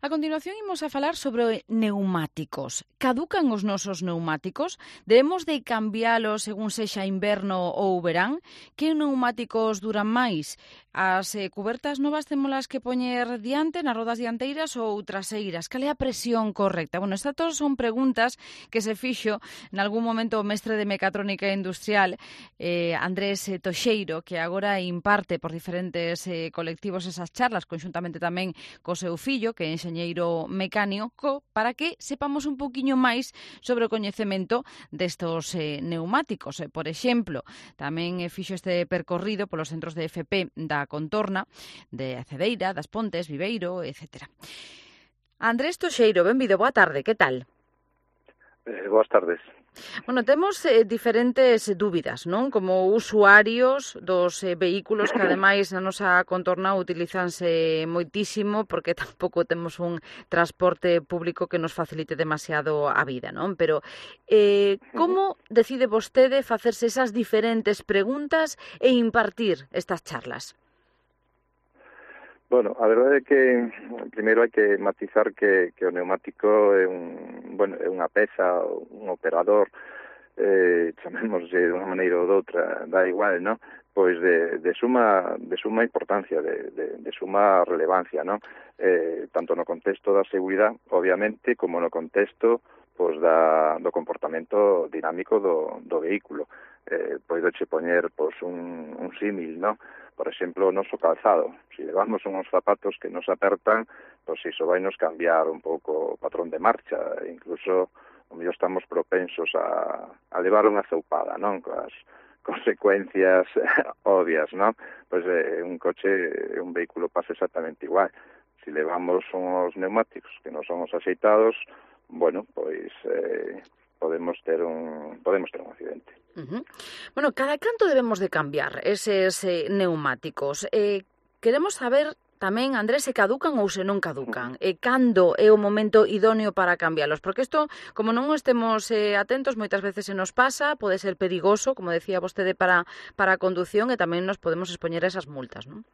A continuación imos a falar sobre neumáticos. Caducan os nosos neumáticos? Debemos de cambiálos según sexa inverno ou verán? Que neumáticos duran máis? As cubertas novas témolas que poñer diante nas rodas dianteiras ou traseiras? Cal é a presión correcta? Bueno, estas todas son preguntas que se fixo nalgún momento o mestre de mecatrónica industrial Andrés Toxeiro, que agora imparte por diferentes colectivos esas charlas, conxuntamente tamén co seu fillo, que é enxeñeiro mecánico, para que sepamos un poquinho máis sobre o coñecemento destos neumáticos. Por exemplo, tamén fixo este percorrido polos centros de FP da Contorna, de Cedeira, das Pontes, Viveiro, etc. Andrés Toxeiro, benvido, boa tarde, que tal? Boas tardes. Bueno, temos diferentes dúbidas, non? Como usuarios dos vehículos que, ademais, na nosa contorna utilizanse moitísimo porque tampouco temos un transporte público que nos facilite demasiado a vida, non? Pero como decide vostede facerse esas diferentes preguntas e impartir estas charlas? Bueno, a verdade é que primeiro hai que matizar que o neumático é é unha peza, un operador, chamémoslle de unha maneira ou doutra, dá igual, non? Pois de suma importancia, de suma relevancia, non? Tanto no contexto da seguridade, obviamente, como no contexto pois do comportamento dinámico do vehículo. Poidoche poñer pois un símil, non? Por exemplo, o noso calzado. Se levamos uns zapatos que nos apertan, pois iso vai nos cambiar un pouco o patrón de marcha. Incluso, o mellor estamos propensos a levar unha zoupada, non? Coas consecuencias obvias, non? Pois un coche, un vehículo pasa exactamente igual. Se levamos uns neumáticos que non son os axeitados, bueno, pois podemos ter un accidente. Bueno, cada canto debemos de cambiar eses neumáticos. Queremos saber tamén, Andrés, se caducan ou se non caducan. Cando é o momento idóneo para cambialos? Porque isto, como non estemos atentos, moitas veces se nos pasa, pode ser perigoso, como decía vostede, para a condución e tamén nos podemos expoñer a esas multas, non?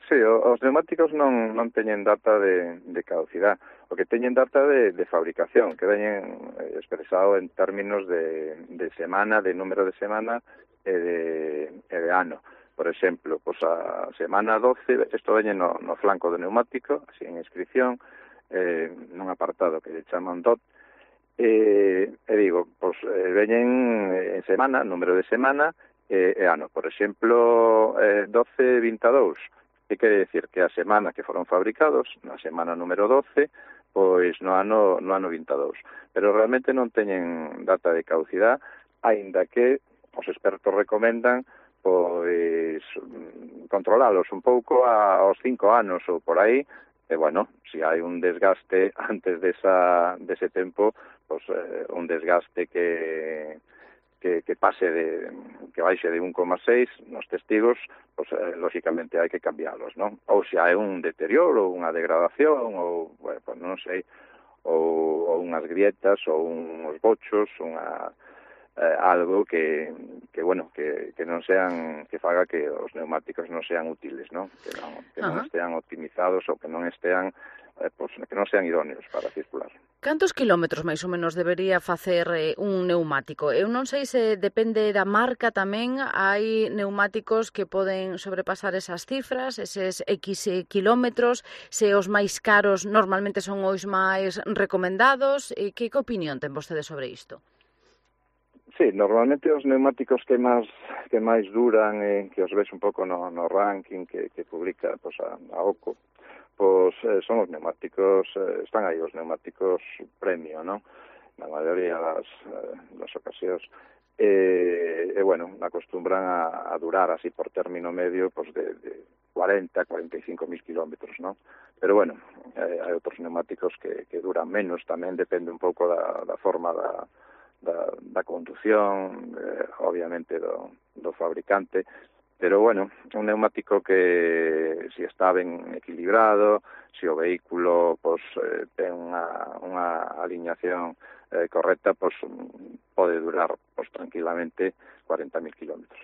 Sí, os neumáticos non teñen data de caducidade. O que teñen data de fabricación, que veñen expresado en términos de semana, de número de semana e de ano. Por exemplo, pois a semana 12, isto veñe no flanco do neumático, así en inscripción, nun apartado que lle chaman DOT, e digo, pois veñen en semana, número de semana e ano. Por exemplo, 12-22, que quere decir que a semana que foron fabricados, na semana número 12, pois no ano 22. Pero realmente non teñen data de caducidade, aínda que os expertos recomendan pois controlalos un pouco aos 5 anos ou por aí, e bueno, se hai un desgaste antes dese tempo, pois un desgaste que baixe de 1,6 nos testigos, pois lógicamente hai que cambialos, non? Ou se hai un deterioro, unha degradación, ou, bueno, pues non sei, ou unhas grietas, ou uns bochos, algo que non sean, que faga que os neumáticos non sean útiles, non? Que non estean optimizados ou que non estean que non sean idóneos para circular. Cantos quilómetros máis ou menos debería facer un neumático? Eu non sei se depende da marca tamén, hai neumáticos que poden sobrepasar esas cifras, eses X quilómetros, se os máis caros normalmente son os máis recomendados. Que opinión ten vostede sobre isto? Sí, normalmente os neumáticos que máis duran, que os ves un pouco no ranking que publica a OCO, son os neumáticos, están aí os neumáticos premio, non? Na maioría das ocasións. Bueno, acostumbran a durar así por término medio de 40-45 mil kilómetros, non? Pero bueno, hai outros neumáticos que duran menos, tamén depende un pouco da forma da condución, obviamente do fabricante. Pero, bueno, un neumático que se está ben equilibrado, se o vehículo ten unha aliñación correcta, pode durar tranquilamente 40.000 kilómetros.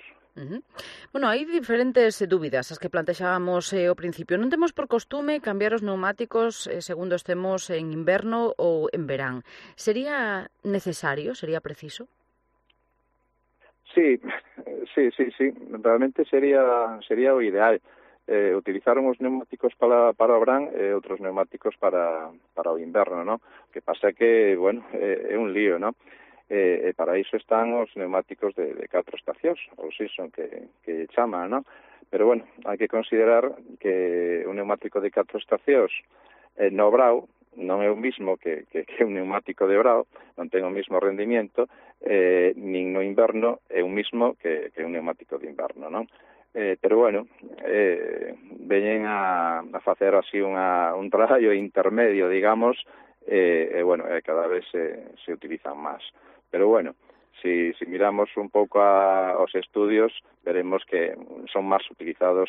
Bueno, hai diferentes dúbidas as que plantexábamos ao principio. Non temos por costume cambiar os neumáticos segundo estemos en inverno ou en verán. Sería necesario, sería preciso? Sí. Realmente sería o ideal. Utilizar uns neumáticos para o verán e outros neumáticos para o inverno, ¿no? Que pasa que, bueno, é un lío, ¿no? E para iso están os neumáticos de 4 estacións, ou season que chaman, ¿no? Pero, bueno, hai que considerar que un neumático de 4 estacións no brao non é o mismo que un neumático de brao, non ten o mismo rendimiento, nin no inverno é o mismo que un neumático de inverno, non? Pero, bueno, veñen a facer así un traballo intermedio, digamos, bueno, cada vez se utilizan máis. Pero, bueno, si miramos un pouco aos estudios, veremos que son máis utilizados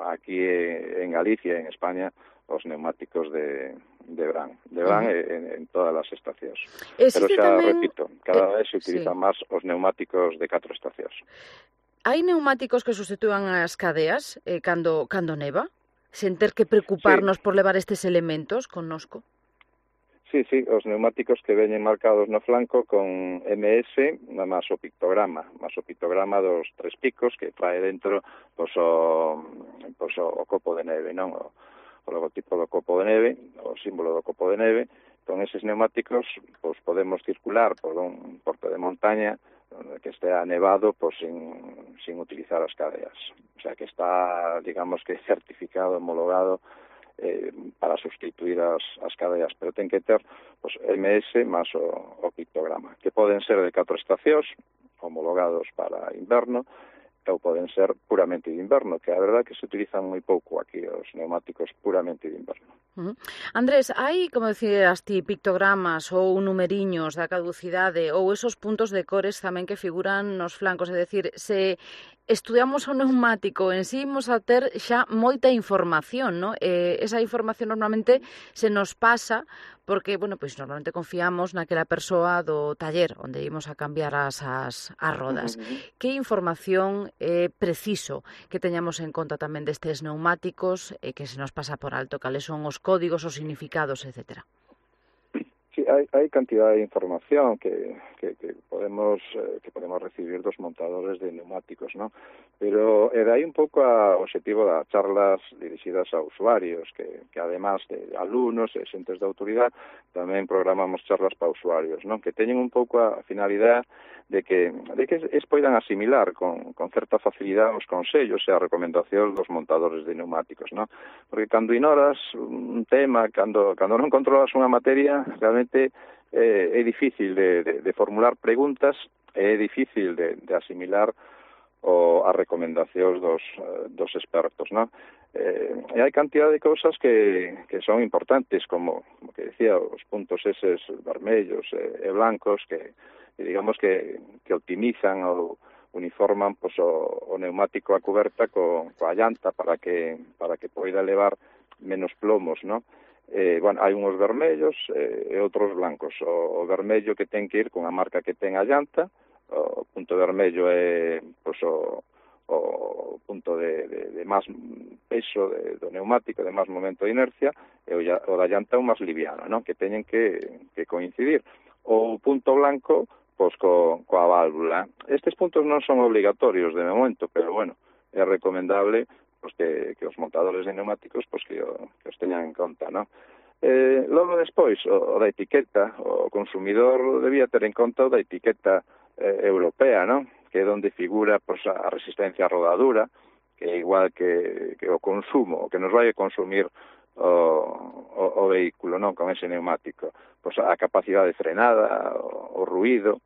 aquí en Galicia, en España, os neumáticos de verán en todas as estacións. Pero xa repito, cada vez se utilizan máis os neumáticos de 4 estacións. Hai neumáticos que sustitúan as cadeas cando neva, sen ter que preocuparnos por levar estes elementos connosco? Sí, os neumáticos que veñen marcados no flanco con MS máis o pictograma dos 3 picos que trae dentro o copo de neve, non? O logotipo do copo de neve, o símbolo do copo de neve. Con eses neumáticos podemos circular por un porto de montaña que estea nevado sin utilizar as cadeas. O sea, que está, digamos que certificado, homologado para sustituir as cadeas, pero ten que ter MS máis o pictograma, que poden ser de 4 estacións, homologados para inverno, ou poden ser puramente de inverno, que a verdade que se utilizan moi pouco aquí os neumáticos puramente de inverno. Andrés, hai, como decías ti, pictogramas ou numeriños da caducidade ou esos puntos de cores tamén que figuran nos flancos, é dicir, se estudiamos o neumático en sí, imos a ter xa moita información, non? Esa información normalmente se nos pasa porque, bueno, pois normalmente confiamos naquela persoa do taller onde imos a cambiar as rodas. Que información é preciso que teñamos en conta tamén destes neumáticos e que se nos pasa por alto, cales son os códigos, os significados, etcétera? Sí, hai cantidad de información que podemos recibir dos montadores de neumáticos, ¿no? Pero de aí un pouco o objetivo das charlas dirixidas a usuarios, que además de alumnos e xentes de autoridade, tamén programamos charlas para usuarios, ¿no? Que teñen un pouco a finalidade de que poidan asimilar con certa facilidade os consellos e as recomendacións dos montadores de neumáticos, ¿no? Porque cando ignoras un tema, cando non controlas unha materia, realmente é difícil de formular preguntas, é difícil de asimilar as recomendacións dos expertos, ¿no? E hai cantidad de cousas que son importantes, como que decía, os puntos eses vermellos e blancos que digamos que optimizan ou uniforman o neumático a cuberta coa llanta para que poida levar menos plomos, ¿no? Bueno, hai unhos vermellos e outros blancos. O vermello que ten que ir con a marca que ten a llanta, o punto vermello é o punto de máis peso do neumático, de máis momento de inercia, e o da llanta é o máis liviano, ¿no? Que teñen que coincidir. O punto blanco, coa válvula. Estes puntos non son obligatorios de momento, pero, bueno, é recomendable que os montadores de neumáticos que os teñan en conta, ¿no? Logo despois, o da etiqueta, o consumidor debía ter en conta o da etiqueta europea, ¿no? Que é onde figura a resistencia a rodadura, que é igual que o consumo, o que nos vai a consumir o vehículo, non? Con ese neumático. A capacidade de frenada, o ruído,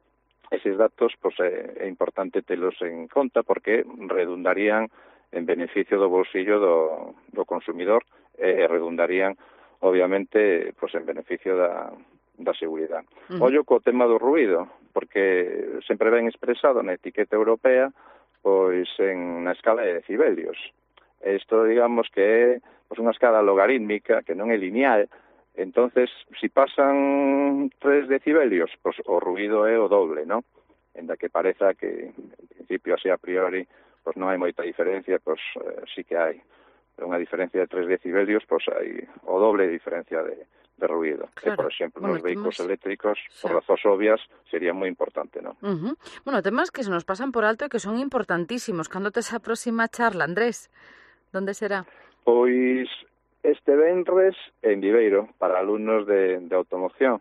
eses datos é importante telos en conta porque redundarían en beneficio do bolsillo do consumidor e redundarían, obviamente, en beneficio da seguridade. Ollo co tema do ruído, porque sempre ven expresado na etiqueta europea na escala de decibelios. Isto, digamos, que é unha escala logarítmica, que non é lineal. Entonces, si pasan 3 decibelios, o ruido é o doble, ¿no? En da que pareza que, en principio, así a priori, pois non hai moita diferencia, pois sí que hai. Unha diferencia de 3 decibelios, pois hai o doble de diferencia de ruido. Claro. E, por exemplo, nos vehículos eléctricos, por Xa. razóns obvias, sería moi importante, non? Bueno, temas que se nos pasan por alto e que son importantísimos. Cando tes a próxima charla, Andrés? Donde será? Pois este venres en Viveiro, para alumnos de automoción.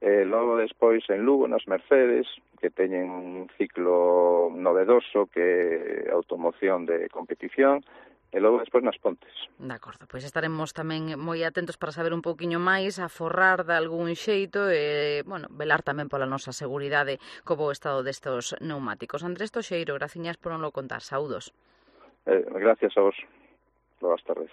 Logo despois en Lugo, nas Mercedes, que teñen un ciclo novedoso que é automoción de competición, e logo despois nas Pontes. De acordo, pois estaremos tamén moi atentos para saber un pouquiño máis, a forrar de algún xeito e, velar tamén pola nosa seguridade co bo estado destos neumáticos. Andrés Toxeiro, graciñas por non lo contar. Saúdos. Gracias a vos. Boas tardes.